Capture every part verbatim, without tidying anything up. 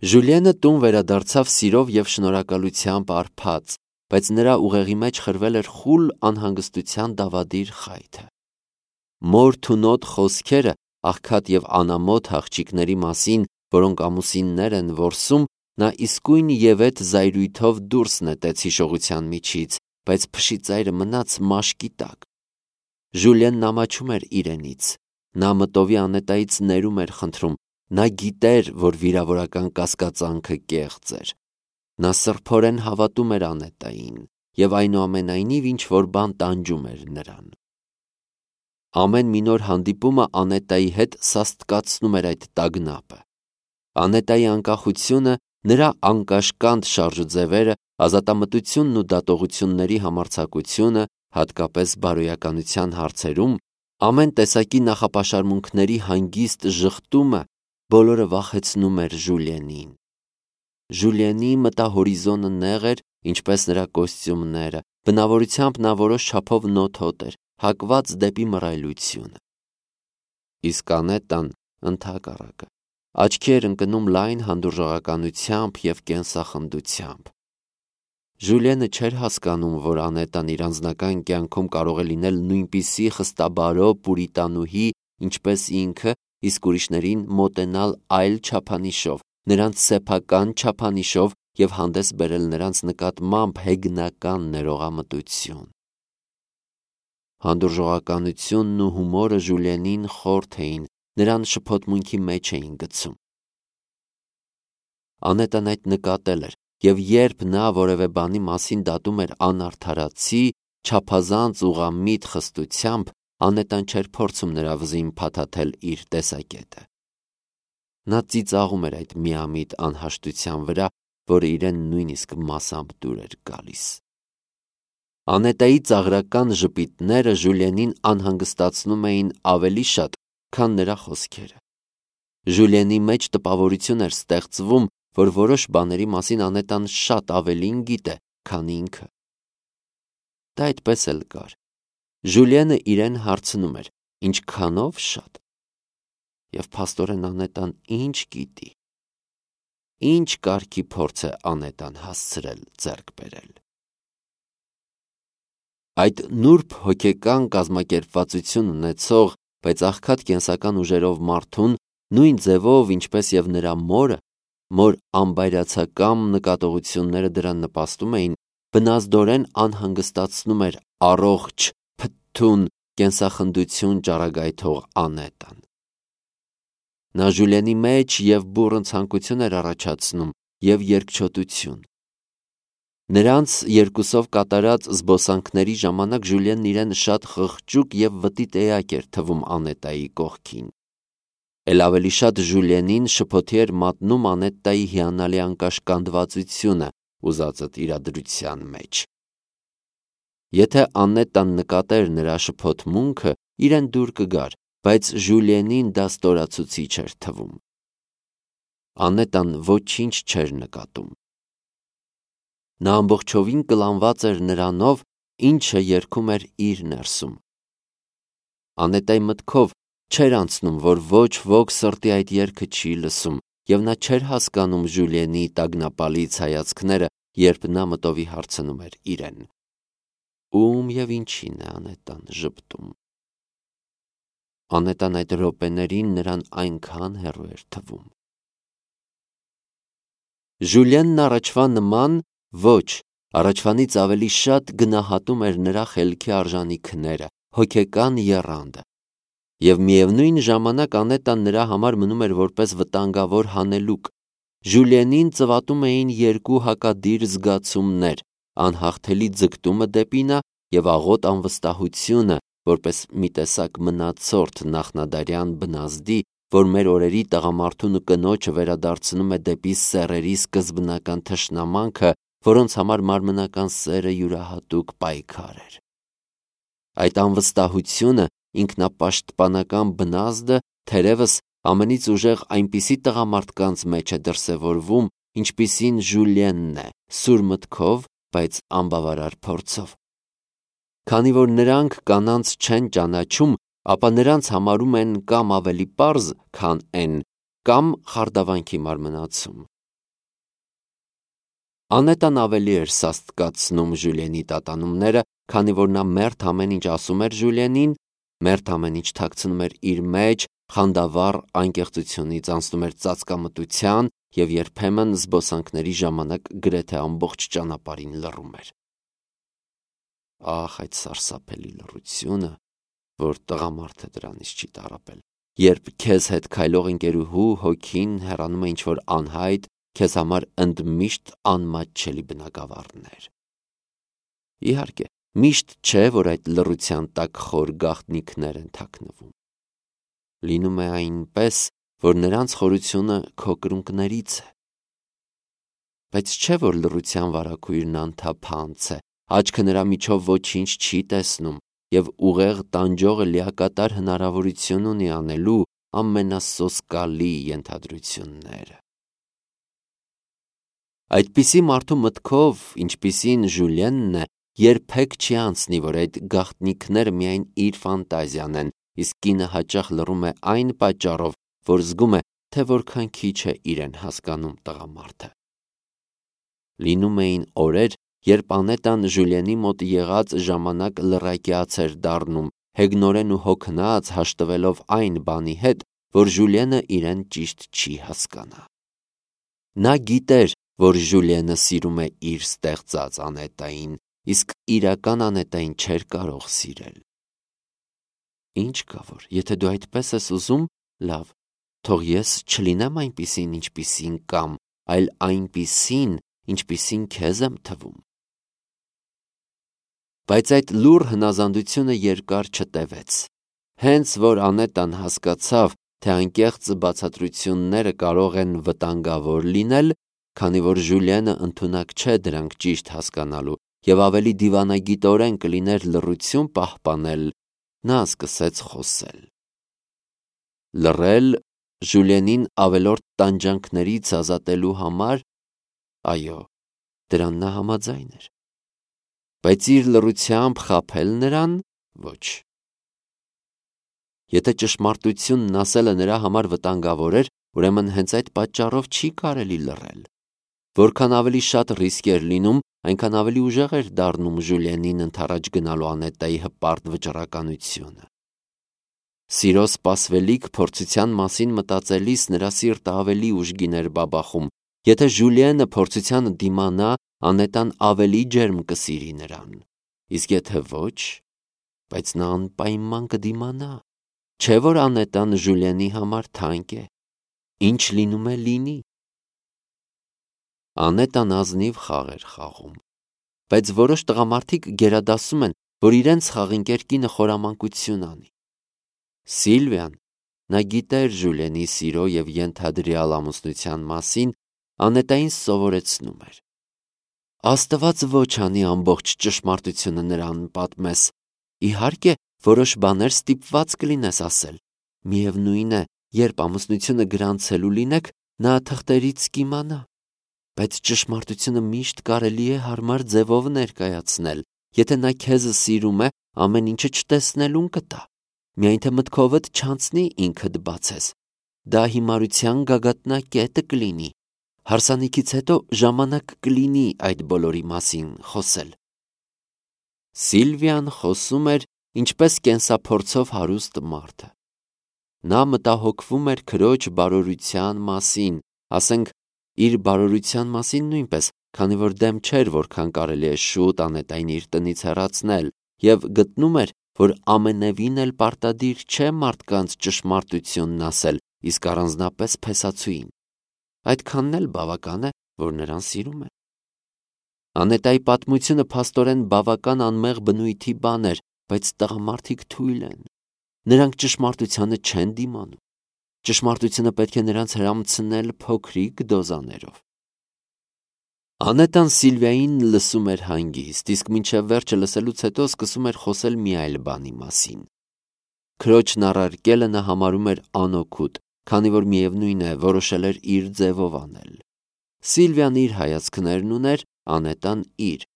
Ժուլիենը տուն վերադարձավ սիրով և շնորհակալությամբ արբած, բայց նրա ուղեղի մեջ խրվել էր խուլ անհանգստության դավադիր խայթը։ Մոր թունոտ խոսքերը աղքատ և անամոթ աղջիկների մասին, որոնք ամուսիններ են որսում, նա իսկույն ևեթ զայրույթով դուրս նետեց հիշողության միջից, բայց փշի ծայրը մնաց մաշկի տակ։ Ժուլիենն ամաչում էր իրենից։ Նա մտովի Անետայից ներում էր խնդրում։ Նա գիտեր, որ վիրավորական կասկածանքը կեղծ էր։ Նա սրբորեն հավատում էր Անետային և այնուամենայնիվ ինչ-որ բան տանջում էր նրան։ Ամեն մի նոր հանդիպումը Անետայի հետ սաստկացնում էր այդ տագնապը։ Անետայի անկախությունը, նրա անկաշկանդ շարժուձևերը, ազատամտությունն ու դատողությունների համարձակությունը, հատկապես բարոյականության հարցերում, ամեն տեսակի նախապաշարմունքների հանգիստ ժխտումը բոլորը վախեցնում էր Ժուլիենին։ Ժուլիենի մտահորիզոնը նեղ էր, ինչպես նրա կոստյումները, բնավորությամբ նա որոշ չափով նոթոտ էր, հակված դեպի մռայլությունը։ Իսկ Անետան ընդհակառակը աչքի էր ընկնում լայն հանդուրժողականությամբ և կենսախնդությամբ։ Ժուլիենը չէր հասկանում, որ Անետան իր անձնական կյանքում կարող է լինել նույնպիսի խստաբարո պուրիտանուհի, ինչպես ինքը, իսկ ուրիշներին մոտենալ այլ չափանիշով, նրանց սեփական չափանիշով և հանդես բերել նրանց նկատմամբ հեգնական ներողամտություն։ Հանդուրժողականությունն ու հումորը Ժուլիենին խորթ էին, նրան շփոթմունքի մեջ էին գցում։ Անետան այդ նկատել էր, և երբ նա որևէ բանի մասին դատում էր անարդարացի, չափազանց ուղղամիտ խստությամբ, Անետան չէր փորձում նրա վզին փաթաթել իր տեսակետը։ Նա ծիծաղում էր այդ միամիտ անհաշտության վրա, որը իրեն նույնիսկ մասամբ դուր էր գալիս։ Անետայի ծաղրական ժպիտները Ժուլիենին անհանգստացնում էին ավելի շատ, քան նրա խոսքերը։ Ժուլիենի մեջ տպավորություն էր ստեղծվում, որ որոշ բաների մասին Անետան շատ ավելին գիտե, քան ինքը։ Դա այդպես էլ կար։ Ժուլիենը իրեն հարցնում էր. ինչքանով շատ։ Եվ փաստորեն Անետան ինչ գիտի։ Ինչ կարգի փորձ է Անետան հասցրել ձեռք բերել։ Այդ նուրբ հոգեկան կազմակերպվածություն ունեցող, բայց աղքատ կենսական ուժերով մարդուն, նույն ձևով, ինչպես և նրա մորը, մոր անբայրացակամ նկատողությունները դրան նպաստում էին, բնազդորեն անհանգստացնում էր առողջ, փթթուն կենսախնդություն ճառագայթող Անետան։ Նա Ժուլիենի մեջ և բուռն ցանկություն էր առաջացնում, և երկչոտություն։ Նրանց երկուսով կատարած զբոսանքների ժամանակ Ժուլիենն իրեն շատ խղճուկ և վտիտ էակ էր թվում Անետայի կողքին։ Էլ ավելի շատ Ժուլիենին շփոթի էր մատնում Անետայի հիանալի անկաշկանդվածությունը ուզածդ իրադրության մեջ։ Եթե Անետան նկատեր նրա շփոթմունքը, իրեն դուր կգար, բայց Ժուլիենին դա ստորացուցիչ էր թվում։ Անետան ոչինչ չէր նկատում։ Նա ամբողջովին կլանված էր նրանով, ինչը երգում էր իր ներսում։ Անետայի մտքով չէր անցնում, որ ոչ ոք սրտի այդ երգը չի լսում, և նա չէր հասկանում Ժուլիենի տագնապալից հայացքները, երբ նա մտովի հարցնում էր իրեն. ում և ինչին է Անետան ժպտում։ Անետան այդ րոպեներին նրան այնքան հեռու էր թվում։ Ժուլիենն առաջվա նման ոչ, առաջվանից ավելի շատ գնահատում էր նրա խելքի արժանիքները, հոգեկան եռանդը։ Եվ միևնույն ժամանակ Անետան նրա համար մնում էր որպես վտանգավոր հանելուկ։ Ժուլիենին ծվատում էին երկու հակադիր զգացումներ՝ անհաղթելի ձգտումը դեպի նա և աղոտ անվստահությունը, որպես մի տեսակ մնացորդ նախնադարյան բնազդի, որ մեր օրերի տղամարդուն ու կնոջը վերադարձնում է դեպի սեռերի սկզբնական թշնամանքը, որոնց համար մարմնական սերը յուրահատուկ պայքար էր։ Այդ անվստահությունը, ինքնապաշտպանական բնազդը, թերևս, ամենից ուժեղ այնպիսի տղամարդկանց մեջ է դրսևորվում, ինչպիսին Ժուլիենն է, սուր մտքով, բայց անբավարար փորձով։ Քանի որ նրանք կանանց չեն ճանաչում, ապա նրանց համարում են կամ ավելի պարզ, քան են, կամ խարդավանքի մարմնացում։ Անետան ավելի էր սաստկացնում Ժուլիենի տատանումները, քանի որ նա մերթ ամեն ինչ ասում էր Ժուլիենին, մերթ ամեն ինչ թաքցնում էր իր մեջ, խանդավառ անկեղծությունից անցնում էր ծածկամտության և երբեմն զբոսանքների ժամանակ գրեթե ամբողջ ճանապարհին լռում էր։ Ահ, այդ սարսափելի լռությունը, որ տղամարդը դրանից չի տառապել, երբ քեզ հետ քայլող ընկերուհու հոգին հեռանում է ինչ-որ անհայտ, քեզ համար ընդմիշտ անմատչելի բնագավառներ։ Իհարկե, միշտ չէ, որ այդ լռության տակ խոր գաղտնիքներ են թաքնվում։ Լինում է այնպես, որ նրանց խորությունը քո կրունկներից է։ Բայց չէ, որ լռության վարագույրն անթափանց է, աչքը նրա միջով ոչինչ չի տեսնում և ուղեղ տանջողը լիակատար հնարավորություն ունի անելու ամենասոսկալի ենթադրությունները։ Այդպիսի մարդու մտքով, ինչպիսին Ժուլիենն է, երբեք չի անցնի, որ այդ գաղտնիքները միայն իր ֆանտազիան են, իսկ կինը հաճախ լռում է այն պատճառով, որ զգում է, թե որքան քիչ է իրեն հասկանում տղամարդը։ Լինում էին օրեր, երբ Անետան Ժուլիենի մոտ եղած ժամանակ լռակյաց էր դառնում, հեգնորեն ու հոգնած հաշտվելով այն բանի հետ, որ Ժուլիենը իրեն ճիշտ չի հասկանա։ Նա գիտեր, որ Ժուլիենը սիրում է իր ստեղծած Անետային, իսկ իրական Անետային չէր կարող սիրել։ Ինչ կա որ, եթե դու այդպես ես ուզում, լավ, թող ես չլինեմ այնպիսին, ինչպիսին կամ, այլ այնպիսին, ինչպիսին քեզ եմ թվում։ Բայց այդ լուռ հնազանդությունը երկար չտևեց։ Հենց որ Անետան հասկացավ, թե անկեղծ բացատրությունները կարող են վտանգավոր լինել, քանի որ Ժուլիենը ընդունակ չէ դրանք ճիշտ հասկանալու և ավելի դիվանագիտորեն կլիներ լռություն պահպանել, նա սկսեց խոսել։ Լռել Ժուլիենին ավելորդ տանջանքներից ազատելու համար, այո, դրան նա համաձայն էր։ Բայց իր լռությամբ խաբել նրան, ոչ։ Եթե ճշմարտությունն ասելը նրա համար վտանգավոր էր, ուրեմն հենց այդ պատճառով չի կարելի լռել։ Որքան ավելի շատ ռիսկ էր լինում, այնքան ավելի ուժեղ էր դառնում Ժուլիենին ընդառաջ գնալու Անետայի հպարտ վճռականությունը։ Սիրո սպասվելիք փորձության մասին մտածելիս նրա սիրտը ավելի ուժգին էր բաբախում։ Եթե Ժուլիենը փորձությանը դիմանա, Անետան ավելի ջերմ կսիրի նրան։ Իսկ եթե ոչ, բայց նա անպայման կդիմանա։ Չէ՞ որ Անետան Ժուլիենի համար թանկ է։ Ինչ լինում է լինի։ Անետան ազնիվ խաղ էր խաղում, բայց որոշ տղամարդիկ գերադասում են, որ իրենց խաղընկեր կինը խորամանկություն անի։ Սիլվիան, նա գիտեր Ժուլիենի սիրո և ենթադրյալ ամուսնության մասին, Անետային սովորեցնում էր։ Աստված ոչ անի ամբողջ ճշմարտությունը նրան պատմես, իհարկե, որոշ բաներ ստիպված կլինես ասել, միևնույն է, երբ ամուսնությունը գրանցելու լինեք, նա թղթերից կիմանա, բայց ճշմարտությունը միշտ կարելի է հարմար ձևով ներկայացնել, եթե նա քեզ սիրում է, ամեն ինչը չտեսնելուն կտա, միայն թե մտքովդ չանցնի ինքդ բացես, դա հիմարության գագաթնակետը կլինի, հարսանիքից հետո ժամանակ կլինի այդ բոլորի մասին խոսել։ Սիլվիան խոսում էր, ինչպես կենսափորձով հարուստ մարդը։ Նա մտահոգվում էր քրոջ բարօրության մասին, ասենք, իր բարօրության մասին նույնպես, քանի որ դեմ չէր, որքան կարելի է շուտ Անետային իր տնից հեռացնել, և գտնում էր, որ ամենևին էլ պարտադիր չէ մարդկանց ճշմարտությունն ասել, իսկ առանձնապես փեսացուին։ Այդքանն էլ բավական է, որ նրան սիրում է։ Անետայի պատմությունը փաստորեն բավական անմեղ բնույթի բան էր, բայց տղամարդիկ թույլ են։ Նրանք ճշմարտությանը չեն դիմանում։ Ճշմարտությունը պետք է նրանց հրամցնել փոքրիկ դոզաներով։ Անետան Սիլվիային լսում էր հանգիստ, իսկ մինչև վերջը լսելուց հետո սկսում էր խոսել մի այլ բանի մասին։ Քրոջն առարկելը նա համարում էր անօգուտ, քանի որ միևնույն է, որոշել էր իր ձևով անել։ Սիլվիան իր հայացքներն ուներ, Անետան իր։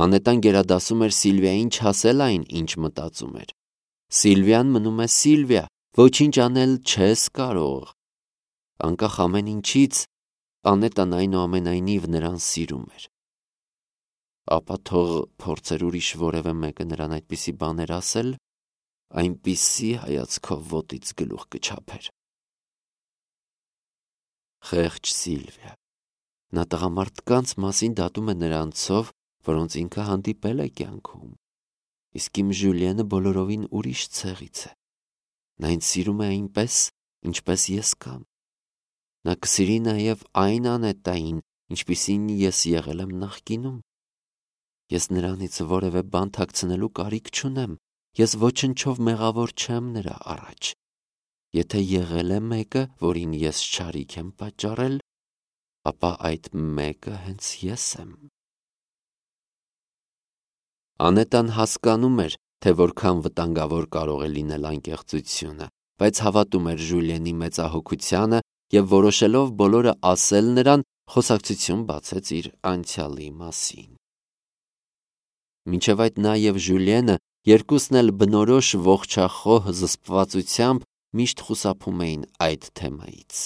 Անետան գերադասում էր Սիլվիային չասել այն, ինչ մտածում էր։ Սիլվիան մնում է Սիլվիա, ոչինչ անել չես կարող։ Անկախ ամեն ինչից, Անետան այնուամենայնիվ նրան սիրում էր։ Ապա թող փորձեր ուրիշ որևէ մեկը նրան այդպիսի բաներ ասել, այնպիսի հայացքով ոտից գլուխ կչափեր։ Խեղճ Սիլվիա։ Նա տղամարդկանց մասին դատում է նրանցով, որոնց ինքը հանդիպել է կյանքում, իսկ իմ Ժուլիենը բոլորովին ուրիշ ցեղից է։ Նա ինձ սիրում է այնպես, ինչպես ես կամ։ Նա կսիրի նաև այն Անետային, ինչպիսին ես եղել եմ նախկինում։ Ես նրանից որևէ բան թաքցնելու կարիք չունեմ, ես ոչնչով մեղավոր չեմ նրա առաջ։ Եթե եղել է մեկը, որին ես չարիք եմ պատճառել, ապա այդ մեկը հենց ես եմ։ Անետան հասկանում էր, թե որքան վտանգավոր կարող է լինել անկեղծությունը, բայց հավատում էր Ժուլիենի մեծահոգությանը և որոշելով բոլորը ասել նրան, խոսակցություն բացեց իր անցյալի մասին։ Մինչև այդ նա և Ժուլիենը երկուսն էլ բնորոշ ողջախոհ զսպվածությամբ միշտ խուսափում էին այդ թեմայից։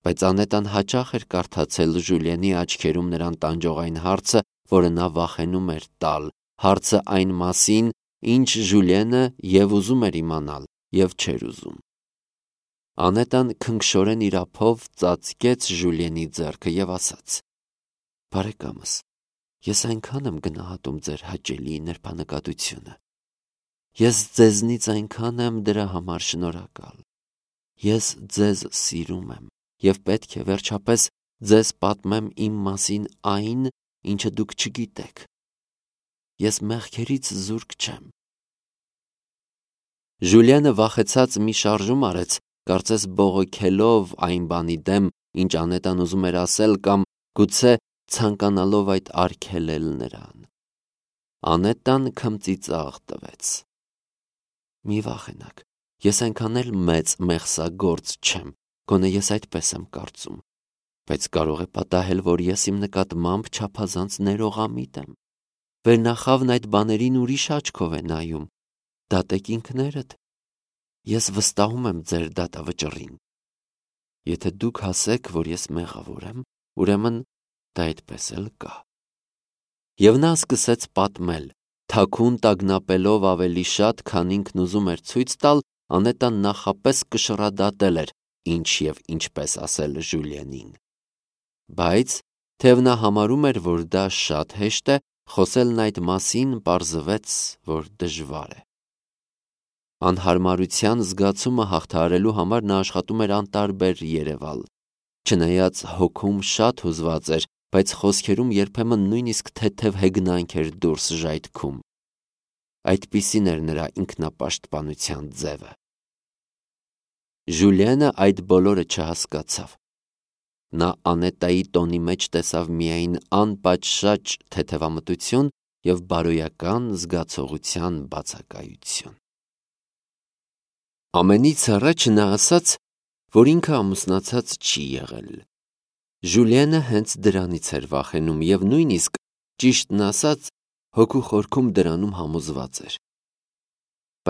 Բայց Անետան հաճախ էր կարդացել Ժուլիենի աչքերում նրան տանջող այն հարցը, որը նա վախենում էր տալ, հարցը այն մասին, ինչ Ժուլիենը և ուզում էր իմանալ, և չէր ուզում։ Անետան քնքշորեն իր ափով ծածկեց Ժուլիենի ձեռքը և ասաց. «Բարեկամս, ես այնքան եմ գնահատում ձեր հաճելի նրբանկատությունը։ Ես ձեզնից այնքան եմ դրա համար շնորհակալ։ Ես ձեզ սիրում եմ և պետք է վերջապես ձեզ պատմեմ իմ մասին այն, ինչը դուք չգիտեք։ Ես մեղքերից զուրկ չեմ»։ Ժուլիենը վախեցած մի շարժում արեց, կարծես բողոքելով այն բանի դեմ, ինչ Անետան ուզում էր ասել կամ գուցե ցանկանալով այդ արգելել նրան։ Անետան քմծիծաղ տվեց։ «Մի վախենաք, ես այնքան էլ մեծ մեղսագործ չեմ, գոնե ես այդպես եմ կարծում, բայց կարող է պատահել, որ ես իմ նկատմամբ չափազանց ներողամիտ եմ։ Վերնախավն այդ բաներին ուրիշ աչքով է նայում, դատեք ինքներդ։ Ես վստահում եմ ձեր դատավճռին։ Եթե դուք ասեք, որ ես մեղավոր եմ, ուրեմն դա այդպես էլ կա»։ Եվ նա սկսեց պատմել, թաքուն տագնապելով ավելի շատ, քան ինքն ուզում էր ցույց տալ, Անետան նախապես կշռադատել էր, ինչ և ինչպես ասել Ժուլիենին։ Բայց, թեև նա համարում էր, որ դա շատ հեշտ է, խոսելն այդ մասին պարզվեց, որ դժվար է։ Անհարմարության զգացումը հաղթահարելու համար նա աշխատում էր անտարբեր երևալ։ Չնայած հոգում շատ հուզված էր, բայց խոսքերում երբեմն նույնիսկ թեթև հեգնանք էր դուրս ժայթքում։ Այդպիսին էր նրա ինքնապաշտպանության ձևը։ Ժուլիենը այդ բոլորը չհասկացավ։ Նա Անետայի տոնի մեջ տեսավ միայն անպատշաճ թեթևամտություն և բարոյական զգացողության բացակայություն։ Ամենից առաջ նա ասաց, որ ինքը ամուսնացած չի եղել։ Ժուլիենը հենց դրանից էր վախենում և նույնիսկ, ճիշտն ասած, հոգու խորքում դրանում համոզված էր։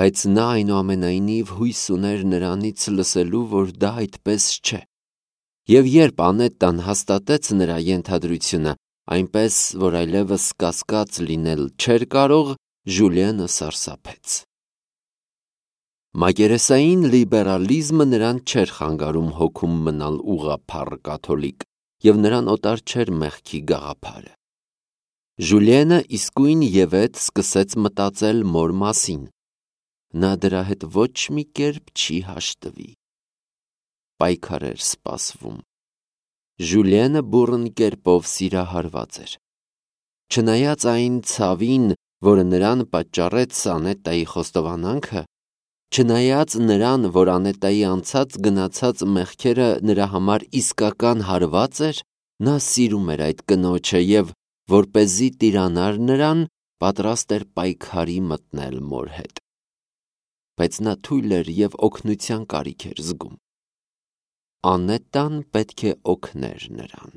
Բայց նա այնուամենայնիվ հույս ուներ նրանից լսելու, որ դա այդպես չէ։ Եվ երբ Անետան հաստատեց նրա ենթադրությունը, այնպես, որ այլևս կասկած լինել չէր կարող, Ժուլիենը սարսափեց։ Մակերեսային լիբերալիզմը նրան չէր խանգարում հոգում մնալ ուղղափառ կաթոլիկ, և նրան օտար չէր մեղքի գաղափարը։ Ժուլիենը իսկույն ևեթ սկսեց մտածել մոր մասին։ Նա դրա հետ ոչ մի կերպ չի հաշտվի։ Պայքար էր սպասվում։ Ժուլիենը բուռն կերպով սիրահարված էր։ Չնայած այն ցավին, որը նրան պատճառեց Անետայի խոստովանանքը, չնայած նրան, որ Անետայի անցած գնացած մեղքերը նրա համար իսկական հարված էր, նա սիրում էր այդ կնոջը և, որպեսզի տիրանար նրան, պատրաստ էր պայքարի մտնել մոր հետ։ Բայց նա թույլ էր և օգնության կարիք էր զգում։ Անետան պետք է օգներ նրան։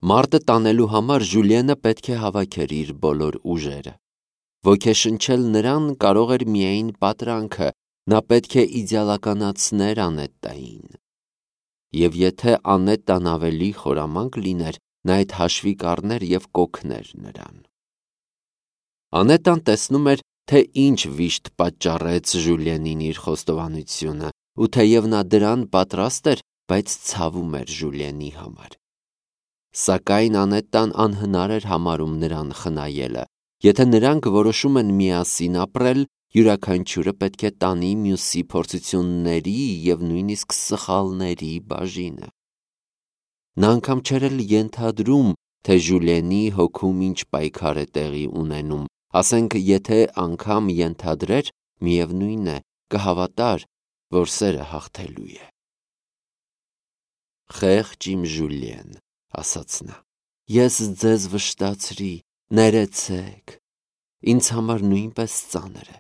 Մարտը տանելու համար Ժուլիենը պետք է հավաքեր իր բոլոր ուժերը։ Ոգեշնչել նրան կարող էր միայն պատրանքը, նա պետք է իդեալականացներ Անետային։ Եվ եթե Անետան ավելի խորամանկ լիներ, նա այդ հաշվի կառներ և կօգներ նրան։ Անետան տեսնում էր, թե ինչ վիշտ պատճառեց Ժուլիենին իր խոստովանությունը, ու թեև նա դրան պատրաստ էր, բայց ցավում էր Ժուլիենի համար։ Սակայն Անետան անհնար էր համարում նրան խնայելը։ Եթե նրանք որոշում են միասին ապրել, յուրաքանչյուրը պետք է տանի մյուսի փորձությունների և նույնիսկ սխալների բաժինը։ Նա անգամ չէր էլ ենթադրում, թե Ժուլիենի հոգում ինչ պայքար է տեղի ունենում, ասենք եթե անգամ ենթադրեր, միևնույն է, կհավատար, որ սերը հաղթելու է։ «Խեղճ իմ Ժուլիեն», ասաց նա, ես ձեզ վշտացրի, ներեցեք, ինձ համար նույնպես ծանր է,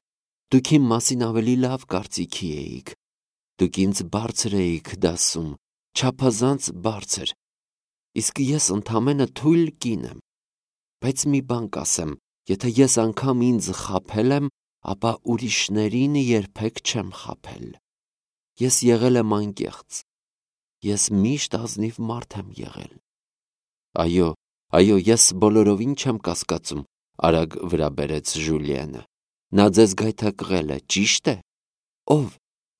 դուք իմ մասին ավելի լավ կարծիքի էիք, դուք ինձ բարձր էիք դասում, չափազանց բարձր, իսկ ես ընդամենը թույլ կին եմ, բայց մի բան կասեմ, եթե ես անգամ ինձ խաբել եմ, ապա ուրիշներին երբեք չեմ խաբել, ես եղել եմ անկեղծ, ես միշտ ազնիվ մարդ եմ եղել։ Այո, այո, ես բոլորովին չեմ կասկածում, արագ վրա բերեց Ժուլիենը, նա ձեզ գայթակղել է, ճիշտ է։ Ո՞վ,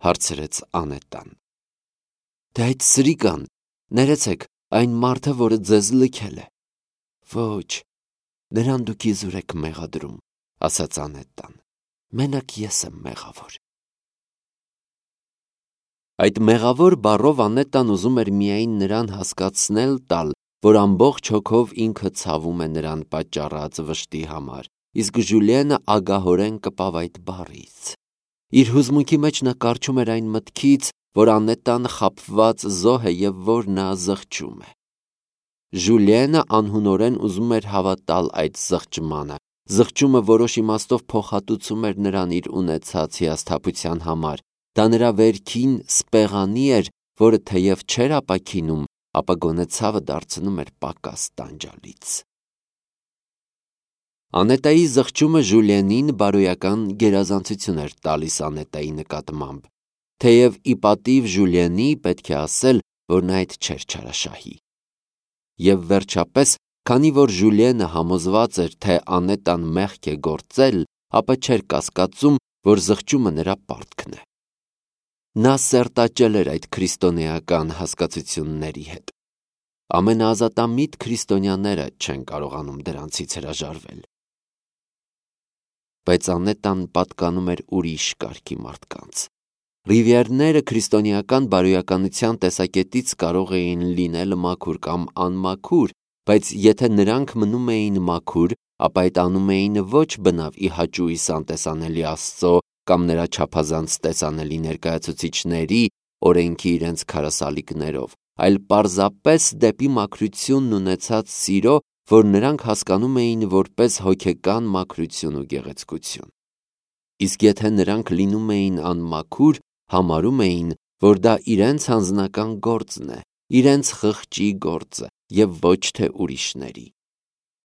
հարցրեց Անետան։ Դե այդ սրիկան, ներեցեք, այն մարդը, որը ձեզ լքել է։ Ոչ, նրան դուք իզուր եք մեղադրում, ասաց Անետան, մենակ ես եմ մեղավոր։ Այդ մեղավոր բառով Անետան ուզում էր միայն նրան հասկացնել տալ, որ ամբողջ հոգով ինքը ցավում է նրան պատճառած վշտի համար, իսկ Ժուլիենը ագահորեն կպավ այդ բառից։ Իր հուզմունքի մեջ նա կառչում էր այն մտքից, որ Անետան խաբված զոհ է և որ նա զղջում է։ Ժուլիենը անհունորեն ուզում էր հավատալ այդ զղջմանը, զղջումը որոշ իմաստով փոխհատուցում էր նրան իր ունեցած հիասթափության համար, դա նրա վերքին սպեղանի էր, որը թեև չէր ապաքինում, ապա գոնե ցավը դարձնում էր պակաս տանջալից։ Անետայի զղջումը Ժուլիենին բարոյական գերազանցություն էր տալիս Անետայի նկատմամբ, թեև ի պատիվ Ժուլիենի պետք է ասել, որ նա այդ չէր չարաշահի։ Եվ վերջապես, քանի որ Ժուլիենը համոզված էր, թե Անետան մեղք է գործել, ապա չէր կասկածում, որ զղջումը նրա պարտքն է։ Նա սերտաճել էր այդ քրիստոնեական հասկացությունների հետ։ Ամենաազատամիտ քրիստոնյաները չեն կարողանում դրանցից հրաժարվել։ Բայց Անետան պատկանում էր ուրիշ կարգի մարդկանց։ Ռիվիերները քրիստոնեական բարոյականության տեսակետից կարող էին լինել մաքուր կամ անմաքուր, բայց եթե նրանք մնում էին մաքուր, ապա այդ անում էին ոչ բնավ ի հաճույս անտեսանելի Աստծո կամ նրա չափազանց տեսանելի ներկայացուցիչների օրենքի իրենց քարասալիկներով, այլ պարզապես դեպի մաքրությունն ունեցած սիրո, որ նրանք հասկանում էին որպես հոգեկան մաքրություն ու գեղեցկություն։ Իսկ եթե նրանք լինում էին անմաքուր, համարում էին, որ դա իրենց անձնական գործն է, իրենց խղճի գործը և ոչ թե ուրիշների։